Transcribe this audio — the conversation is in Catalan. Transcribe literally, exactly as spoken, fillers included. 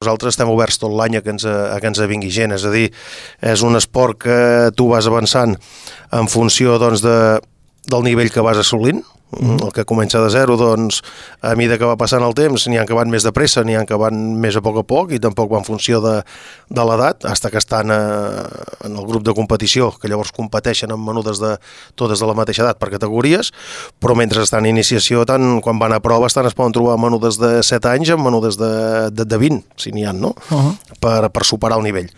Nosaltres estem oberts tot l'any a que ens, a que ens vingui gent, és a dir, és un esport que tu vas avançant en funció doncs, de, del nivell que vas assolint. Mm. El que comença de zero, doncs, a mesura que va passant el temps, n'hi ha que van més de pressa, n'hi ha que van més a poc a poc, i tampoc va en funció de, de l'edat, fins que estan a, en el grup de competició, que llavors competeixen amb menudes de totes de la mateixa edat per categories, però mentre estan en iniciació, tant quan van a prova, estan, es poden trobar menudes de set anys amb menudes de, de, de vint, si n'hi ha, no? Uh-huh. per, per superar el nivell.